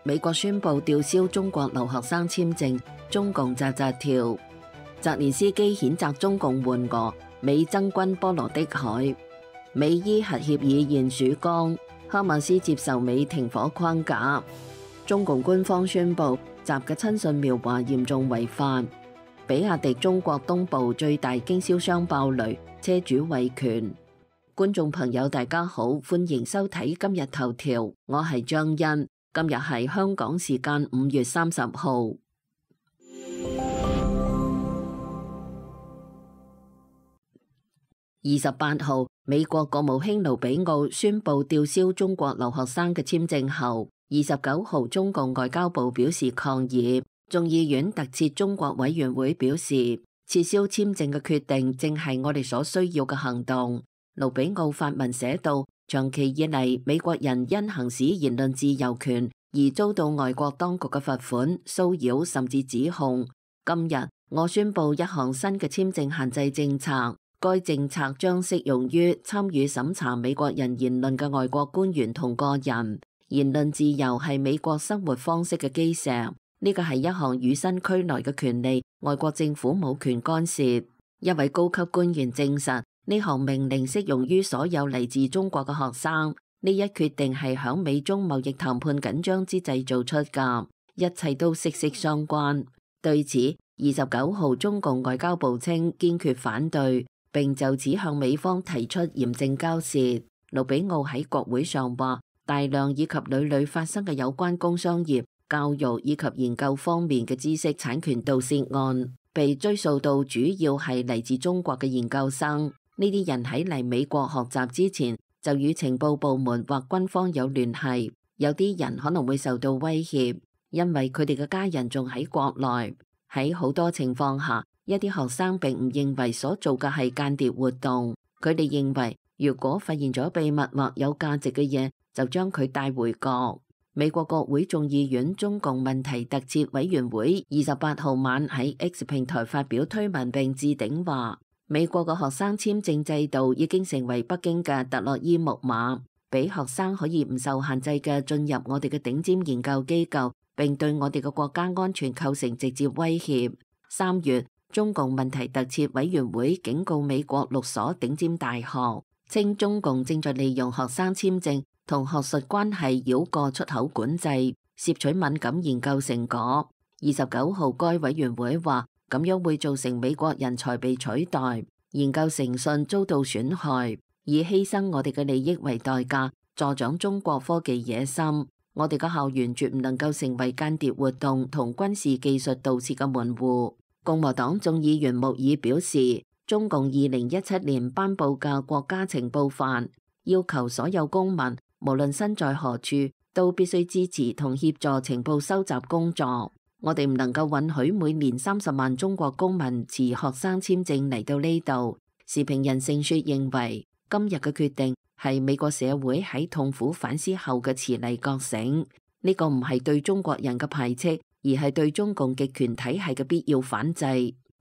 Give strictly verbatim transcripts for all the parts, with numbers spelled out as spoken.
美國宣布吊銷中國留學生簽證，中共扎扎跳。澤連斯基譴責中共援俄，美增軍波羅的海。美伊核協議現曙光，哈馬斯接受美停火框架。中共官方宣布習嘅親信描畫嚴重違法。比亞迪中國東部最大經銷商爆雷，車主維權。觀眾朋友大家好，歡迎收睇今日頭條，我係張欣。今日係香港時間五月三十號。二十八號，美國國務卿盧比奧宣布吊銷中國留學生嘅簽證後，二十九號中共外交部表示抗議。眾議院特設中國委員會表示，撤銷簽證嘅決定正係我哋所需要嘅行動。盧比奧發文寫道，長期以嚟，美國人因行使言論自由權而遭到外國當局嘅罰款、騷擾甚至指控。今日我宣布一項新嘅簽證限制政策，該政策將適用於參與審查美國人言論嘅外國官員同個人。言論自由係美國生活方式嘅基石。呢個係一項與生俱來嘅權利，外國政府冇權干涉。一位高級官員證實，呢項命令適用於所有嚟自中國嘅學生。呢一決定係響美中貿易談判緊張之際做出㗎，一切都息息相關。對此，二十九號中共外交部稱堅決反對，並就此向美方提出嚴正交涉。盧比奧喺國會上話，大量以及屢屢發生嘅有關工商業、教育以及研究方面嘅知識產權盜竊案，被追溯到主要係嚟自中國嘅研究生。呢啲人喺嚟美國學習之前，就與情報部門或軍方有聯繫。有啲人可能會受到威脅，因為佢哋嘅家人仲喺國內。喺好多情況下，一啲學生並唔認為所做嘅係間諜活動。佢哋認為，如果發現咗秘密或有價值嘅嘢，就將佢帶回國。美國國會眾議院中共問題特設委員會二十八號晚喺 X 平台發表推文並置頂話，美國嘅學生簽證制度已經成為北京嘅特洛伊木馬，俾學生可以唔受限制嘅進入我哋嘅頂尖研究機構，並對我哋嘅國家安全構成直接威脅。三月，中共問題特設委員會警告美國六所頂尖大學，稱中共正在利用學生簽證同學術關係繞過出口管制，攝取敏感研究成果。二十九號，該委員會話，咁樣會造成美國人才被取代，研究誠信遭到損害，以犧牲我哋嘅利益為代價，助長中國科技野心。我哋嘅校園絕唔能夠成為間諜活動同軍事技術盜竊嘅門戶。共和黨眾議員穆爾表示，中共二零一七年頒布嘅國家情報法，要求所有公民，無論身在何處，都必須支持同協助情報收集工作。我哋唔能夠允許每年三十萬中國公民持學生簽證嚟到呢度。時評人盛雪認為，今日嘅決定係美國社會喺痛苦反思後嘅遲嚟覺醒。呢個唔係對中國人嘅排斥，而係對中共極權體系嘅必要反制。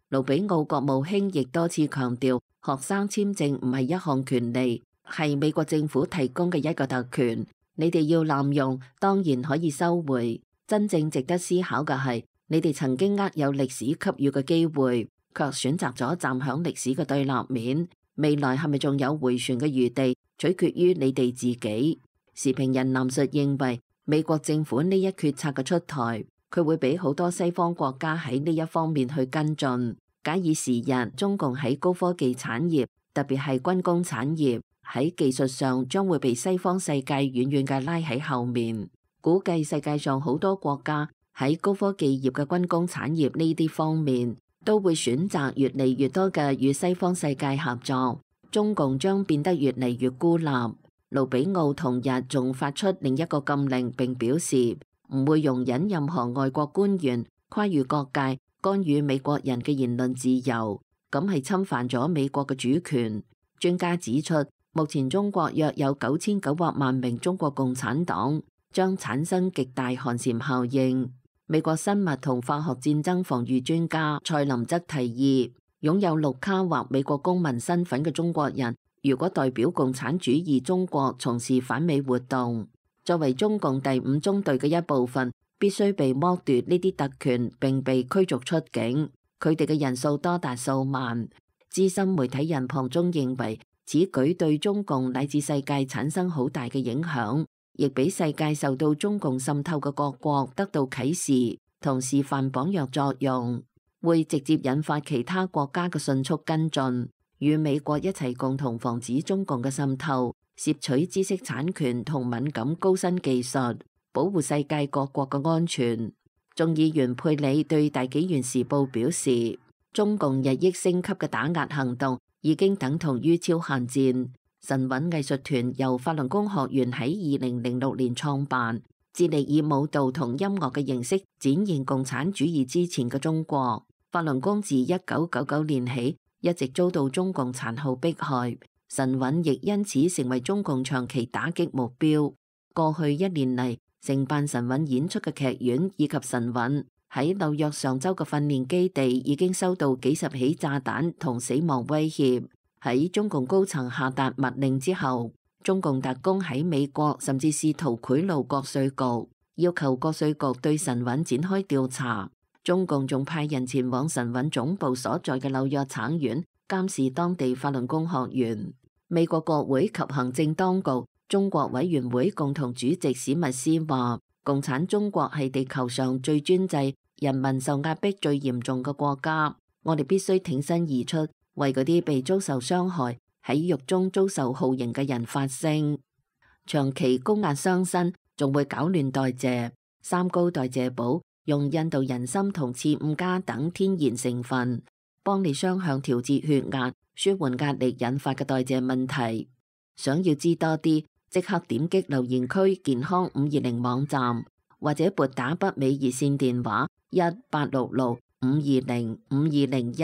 盧比奧國務卿亦多次強調，學生簽證唔係一項權利，係美國政府提供嘅一個特權，你哋要濫用，當然可以收回。真正值得思考嘅係，你哋曾經握有歷史給予嘅機會，卻選擇咗站響歷史嘅對立面。未來係咪仲有回旋嘅餘地，取決於你哋自己。時評人藍述認為，美國政府呢一決策嘅出台，佢會俾好多西方國家喺呢一方面去跟進。假以時日，中共喺高科技產業，特別係軍工產業，喺技術上將會被西方世界遠遠嘅拉喺後面。估計世界上好多國家喺高科技業嘅軍工產業呢啲方面，都會選擇越嚟越多嘅與西方世界合作。中共將變得越嚟越孤立。盧比奧同日仲發出另一個禁令，並表示唔會容忍任何外國官員跨越各界干預美國人嘅言論自由，咁係侵犯咗美國嘅主權。專家指出，目前中國約有九千九百萬名中國共產黨，將產生極大寒蟬效應。美國生物同化學戰爭防禦專家蔡林則提議，擁有綠卡或美國公民身份嘅中國人，如果代表共產主義中國從事反美活動，作為中共第五中隊嘅一部分，必須被剝奪呢啲特權並被驅逐出境。佢哋嘅人數多達數萬。資深媒體人龐中認為，此舉對中共乃至世界產生好大嘅影響，亦俾世界受到中共滲透嘅各國得到啟示，同示範榜樣作用，會直接引發其他國家嘅迅速跟進，與美國一齊共同防止中共嘅滲透，攝取知識產權同敏感高新技術，保護世界各國嘅安全。眾議員佩里對大紀元時報表示，中共日益升級嘅打壓行動已經等同於超限戰。神韻藝術團由法輪功學員喺二零零六年創辦，致力以舞蹈同音樂嘅形式展現共產主義之前嘅中國。法輪功自一九九九年起一直遭到中共殘酷迫害，神韻亦因此成為中共長期打擊目標。過去一年嚟，承辦神韻演出嘅劇院以及神韻喺紐約上州嘅訓練基地已經收到幾十起炸彈同死亡威脅。喺中共高層下達密令之後，中共特工喺美國甚至試圖賄賂國稅局，要求國稅局對神韻展開調查。中共仲派人前往神韻總部所在嘅紐約橙縣監視當地法輪功學員。美國國會及行政當局中國委員會共同主席史密斯話，共產中國係地球上最專制、人民受壓迫最嚴重嘅國家。我哋必須挺身而出，為嗰啲被遭受傷害、喺獄中遭受酷刑嘅人發聲。長期高壓傷身仲會搞亂代謝。三高代謝寶用印度人參同刺五加等天然成分，幫你雙向調節血壓，舒緩壓力引發嘅代謝問題。想要知多啲，即刻點擊留言區健康五二零網站，或者撥打北美熱線電話一八六六五二零五二零一。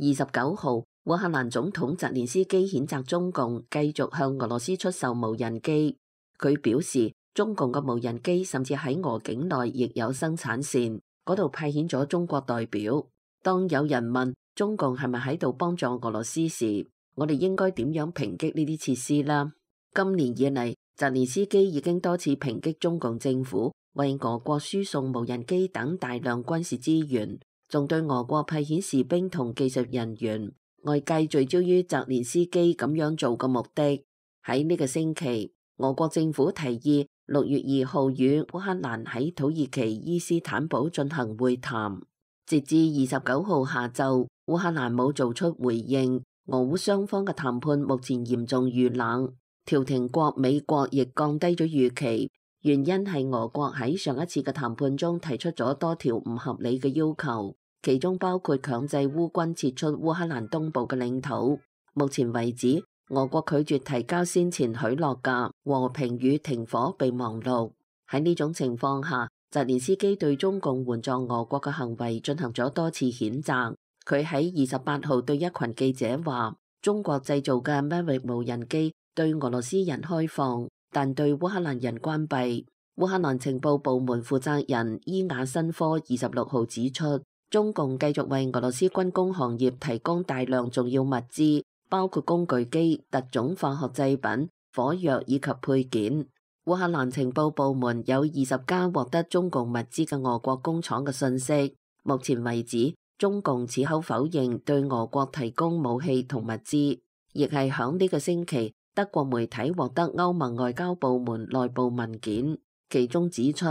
二十九號，烏克蘭總統澤連斯基譴責中共繼續向俄羅斯出售無人機。佢表示，中共嘅無人機甚至喺俄境內亦有生產線，嗰度派遣咗中國代表。當有人問中共係咪喺度幫助俄羅斯時，我哋應該點樣抨擊呢啲設施啦？今年以嚟，澤連斯基已經多次抨擊中共政府為俄國輸送無人機等大量軍事資源，仲對俄國派遣士兵同技術人員。外界聚焦於澤連斯基咁樣做嘅目的。喺呢個星期，俄國政府提議六月二號與烏克蘭喺土耳其伊斯坦堡進行會談。截至二十九號下晝，烏克蘭冇做出回應。俄烏雙方嘅談判目前嚴重遇冷，調停國美國亦降低咗預期，原因係俄國喺上一次嘅談判中提出咗多條唔合理嘅要求。其中包括強制烏軍撤出烏克蘭東部嘅領土。目前為止，俄國拒絕提交先前許諾嘅和平與停火備忘錄。喺呢種情況下，澤連斯基對中共援助俄國嘅行為進行咗多次譴責。佢喺二十八號對一群記者話，中國製造嘅 Mavic 無人機對俄羅斯人開放，但對烏克蘭人關閉。烏克蘭情報部門負責人伊亞申科二十六號指出，中共繼續為俄羅斯軍工行業提供大量重要物資，包括工具機、特種化學製品、火藥以及配件。烏克蘭情報部門有二十家獲得中共物資嘅俄國工廠嘅信息。目前為止，中共矢口否認對俄國提供武器同物資。亦係響呢個星期，德國媒體獲得歐盟外交部門內部文件，其中指出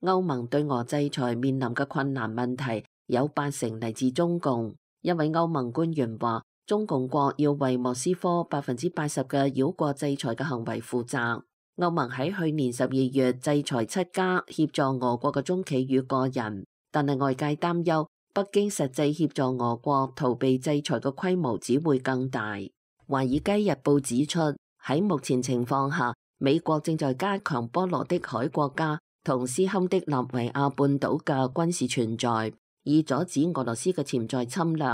歐盟對俄制裁面臨嘅困難問題有八成嚟自中共。一位歐盟官員話，中共國要為莫斯科百分之八十嘅繞過制裁嘅行為負責。歐盟喺去年十二月制裁七家協助俄國嘅中企與個人，但係外界擔憂北京實際協助俄國逃避制裁嘅規模只會更大。華爾街日報指出，喺目前情況下，美國正在加強波羅的海國家同斯堪的納維亞半島嘅軍事存在，以阻止俄羅斯嘅潛在侵略。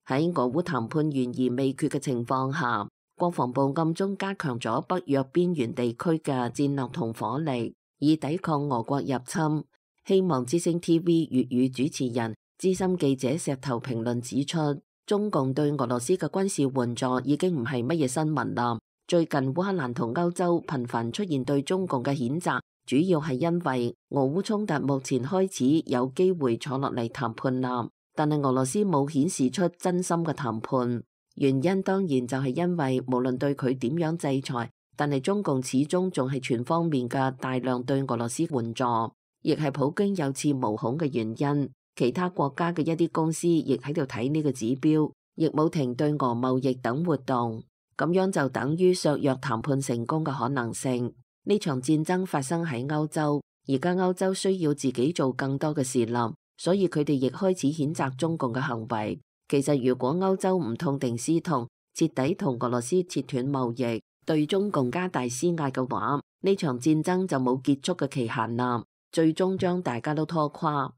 喺俄烏談判懸而未決嘅情況下，國防部暗中加強咗北約邊緣地區嘅戰略同火力，以抵抗俄國入侵。希望之聲 T V 粵語主持人資深記者石頭評論指出，中共對俄羅斯嘅軍事援助已經唔係乜嘢新聞啦。最近烏克蘭同歐洲頻繁出現對中共嘅譴責，主要係因為俄烏衝突目前開始有機會坐落嚟談判啦，但係俄羅斯冇顯示出真心嘅談判。原因當然就係因為無論對佢點樣制裁，但係中共始終仲係全方面嘅大量對俄羅斯援助，亦係普京有恃無恐嘅原因。其他國家嘅一啲公司亦喺度睇呢個指標，亦冇停對俄貿易等活動，咁樣就等於削弱談判成功嘅可能性。呢場戰爭發生喺歐洲，而家歐洲需要自己做更多嘅事啦，所以佢哋亦開始譴責中共嘅行為。其實如果歐洲唔痛定思痛，徹底同俄羅斯切斷貿易，對中共加大施壓嘅話，呢場戰爭就冇結束嘅期限啦，最終將大家都拖垮。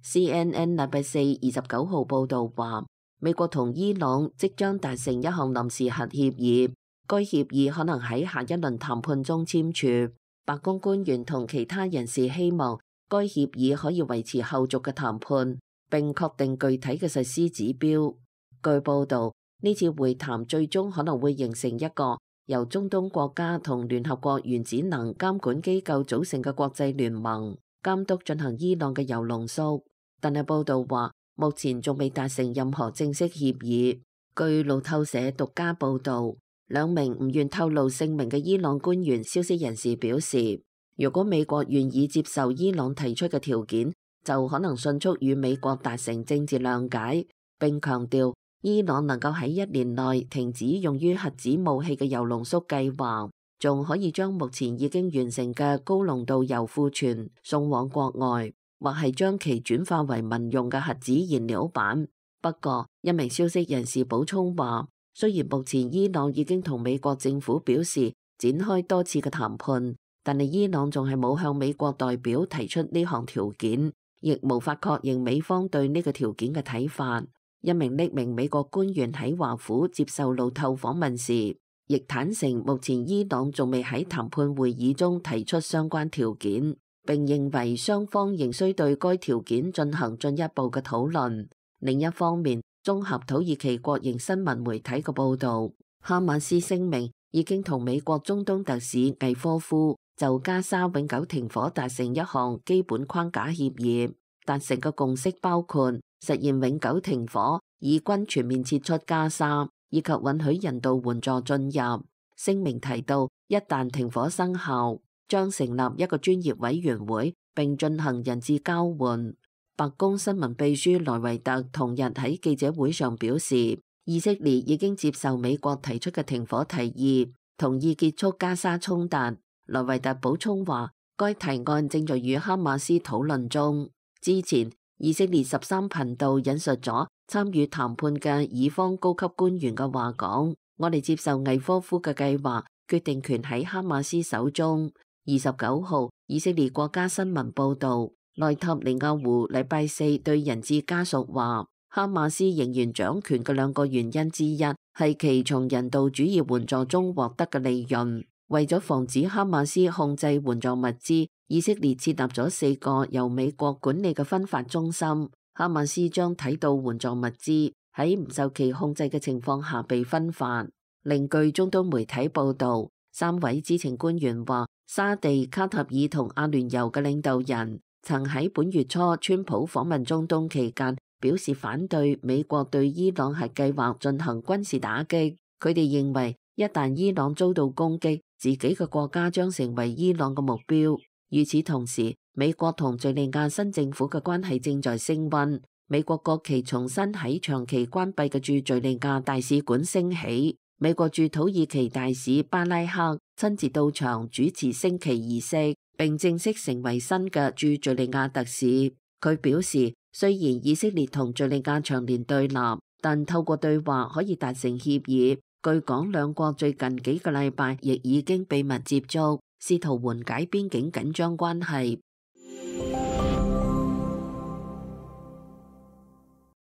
C N N 禮拜四二十九號報道話，美國同伊朗即將達成一項臨時核協議，該協議可能喺下一輪談判中簽署。白宮官員同其他人士希望該協議可以維持後續嘅談判，並確定具體嘅實施指標。據報道，呢次會談最終可能會形成一個由中東國家同聯合國原子能監管機構組成嘅國際聯盟，監督進行伊朗嘅鈾濃縮。但係報道話，目前仲未達成任何正式協議。據路透社獨家報道，兩名唔願透露姓名嘅伊朗官員消息人士表示，如果美國願意接受伊朗提出嘅條件，就可能迅速與美國達成政治諒解，並強調伊朗能夠喺一年內停止用於核子武器嘅鈾濃縮計劃，仲可以將目前已經完成嘅高濃度鈾庫存送往國外，或係將其轉化為民用嘅核子燃料板。不過，一名消息人士補充話，雖然目前伊朗已經同美國政府表示展開多次嘅談判，但係伊朗仲係冇向美國代表提出呢項條件，亦無法確認美方對呢個條件嘅睇法。一名匿名美國官員喺華府接受路透訪問時，亦坦承目前伊朗仲未喺談判會議中提出相關條件，並認為雙方仍需對該條件進行進一步嘅討論。另一方面，綜合土耳其國營新聞媒體嘅報導，哈馬斯聲明已經同美國中東特使魏科夫就加沙永久停火達成一項基本框架協議，達成嘅共識包括實現永久停火、以軍全面撤出加沙，以及允許人道援助進入。聲明提到，一旦停火生效，將成立一個專業委員會，並進行人質交換。白宮新聞秘書萊維特同日喺記者會上表示，以色列已經接受美國提出嘅停火提議，同意結束加沙衝突。萊維特補充話，該提案正在與哈馬斯討論中。之前，以色列十三頻道引述咗參與談判嘅以方高級官員嘅話講，我哋接受魏科夫嘅計劃，決定權喺哈馬斯手中。二十九號，以色列國家新聞報導，內塔尼亞胡禮拜四對人質家屬話，哈馬斯仍然掌權嘅兩個原因之一係其從人道主義援助中獲得嘅利潤。為咗防止哈馬斯控制援助物資，以色列設立咗四個由美國管理嘅分發中心。哈馬斯將睇到援助物資喺唔受其控制嘅情況下被分發。另據中東媒體報導，三位知情官員話，沙地、卡塔爾同阿聯酋嘅領導人曾喺本月初川普訪問中東期間表示反對美國對伊朗核計劃進行軍事打擊。佢哋認為，一旦伊朗遭到攻擊，自己嘅國家將成為伊朗嘅目標。與此同時，美國同敘利亞新政府嘅關係正在升溫。美國國旗重新喺長期關閉嘅駐敘利亞大使館升起。美國駐土耳其大使巴拉克親自到場主持升旗儀式，並正式成為新嘅駐敘利亞特使。佢表示，雖然以色列同敘利亞長年對立，但透過對話可以達成協議。據講，兩國最近幾個禮拜亦已經秘密接觸，試圖緩解邊境緊張關係。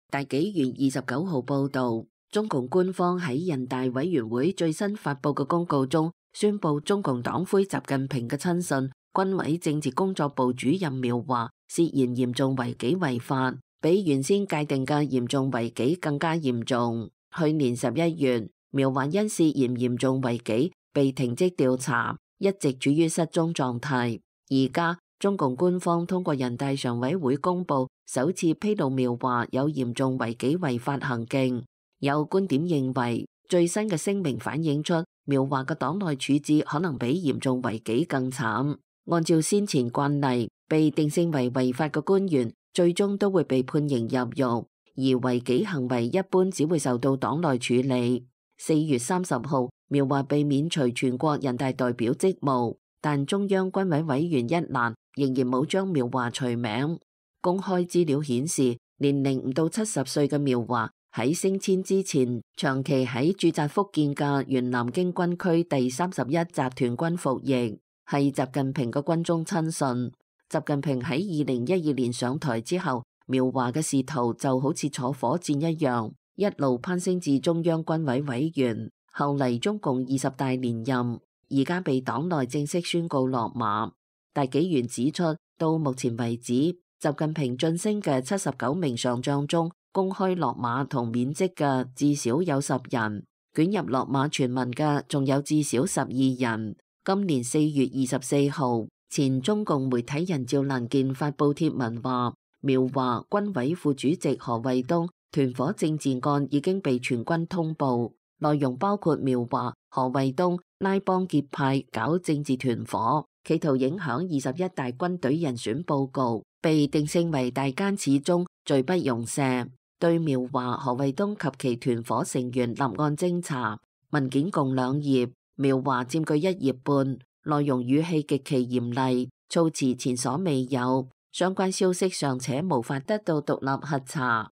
大紀元二十九號報導，中共官方喺人大委員會最新發布嘅公告中，宣布中共黨魁習近平嘅親信、軍委政治工作部主任苗華涉嫌嚴重違紀違法，比原先界定嘅嚴重違紀更加嚴重。去年十一月，苗華因涉嫌嚴重違紀被停職調查，一直處於失蹤狀態。而家中共官方通過人大常委會公佈，首次披露苗華有嚴重違紀違法行徑。有觀點認為，最新嘅聲明反映出苗華嘅黨內處置可能比嚴重違紀更慘。按照先前慣例，被定性為違法嘅官員最終都會被判刑入獄，而違紀行為一般只會受到黨內處理。四月三十號，苗華被免除全國人大代表職務，但中央軍委委員一欄仍然冇將苗華除名。公開資料顯示，年齡唔到七十歲嘅苗華喺升遷之前，長期喺駐紮福建嘅原南京軍區第三十一集團軍服役，係習近平嘅軍中親信。習近平喺二零一二年上台之後，苗華嘅仕途就好似坐火箭一樣，一路攀升至中央軍委委員，後嚟中共二十大連任，而家被黨內正式宣告落馬。大紀元指出，到目前為止，習近平晉升嘅七十九名上將中，公開落馬同免職嘅至少有十人，捲入落馬傳聞嘅仲有至少十二人。今年四月二十四號，前中共媒體人趙蘭健發布帖文話，苗華、軍委副主席何衛東團伙政治案已經被全軍通報，內容包括苗華、何衛東拉幫結派搞政治團伙，企圖影響二十一大軍隊人選報告，被定性為大奸始終，罪不容赦。對苗華、何衛東及其團伙成員立案偵查，文件共兩頁，苗華佔據一頁半，內容語氣極其嚴厲，措辭前所未有，相關消息尚且無法得到獨立核查。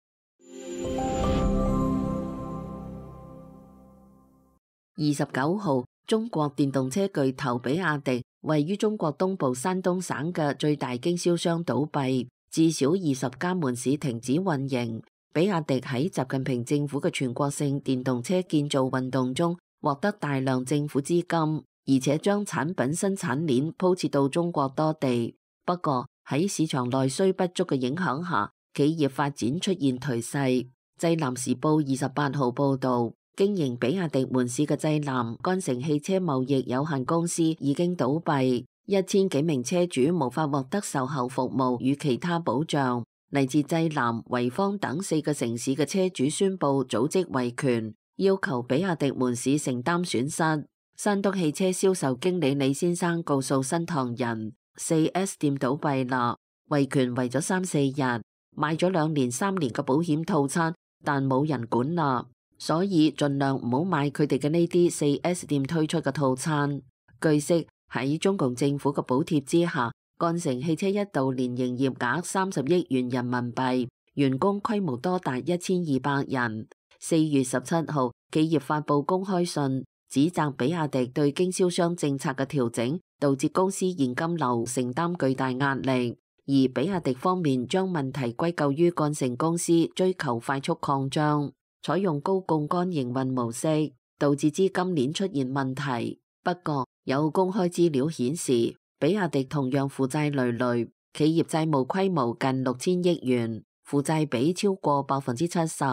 二十九號，中國電動車巨頭比亞迪位於中國東部山東省嘅最大經銷商倒閉，至少二十家門市停止運營。比亞迪喺習近平政府嘅全國性電動車建造運動中獲得大量政府資金，而且將產品生產鏈鋪設到中國多地。不過喺市場內需不足嘅影響下，企業發展出現頹勢。濟南時報二十八號報道，經營比亞迪門市嘅濟南干城汽車貿易有限公司已經倒閉，一千幾名車主無法獲得售後服務與其他保障。嚟自濟南、濰坊等四個城市嘅車主宣布組織維權，要求比亞迪門市承擔損失。山東汽車銷售經理李先生告訴新唐人，四 S 店倒閉啦，維權維咗三四日，買咗兩年、三年嘅保險套餐，但冇人管啦，所以盡量唔好買佢哋嘅呢啲四 S 店推出嘅套餐。據悉，喺中共政府嘅補貼之下，干城汽車一度年營業額三十億元人民幣，員工規模多達一千二百人。四月十七號，企業發布公開信，指責比亞迪對經銷商政策嘅調整，導致公司現金流承擔巨大壓力。而比亞迪方面將問題歸咎於干城公司追求快速擴張，採用高槓桿營運模式，導致資金鏈出現問題。不過，有公開資料顯示，比亞迪同樣負債累累，企業債務規模近六千億元，負債比超過百分之七十，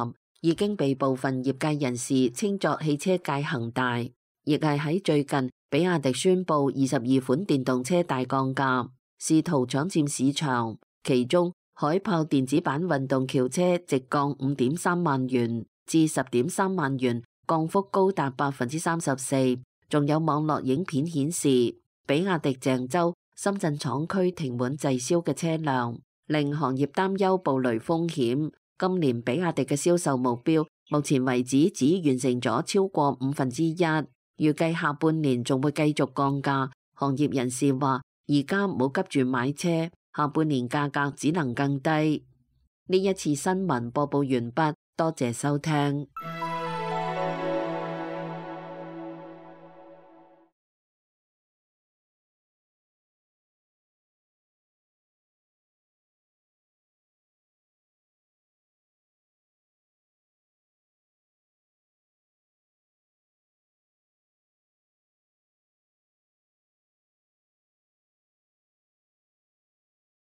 已經被部分業界人士稱作汽車界恒大。亦係喺最近，比亞迪宣布二十二款電動車大降價，試圖搶佔市場。其中，海豹電子版運動轎車直降五點三萬元至十點三萬元，降幅高達百分之三十四。仲有網絡影片顯示，比亞迪鄭州、深圳廠區停滿滯銷嘅車輛，令行業擔憂暴雷風險。今年比亞迪嘅銷售目標，目前為止只完成咗超過五分之一，預計下半年仲會繼續降價。行業人士話，而家冇急住買車，下半年價格只能更低。呢一次新聞播報完畢，多謝收聽。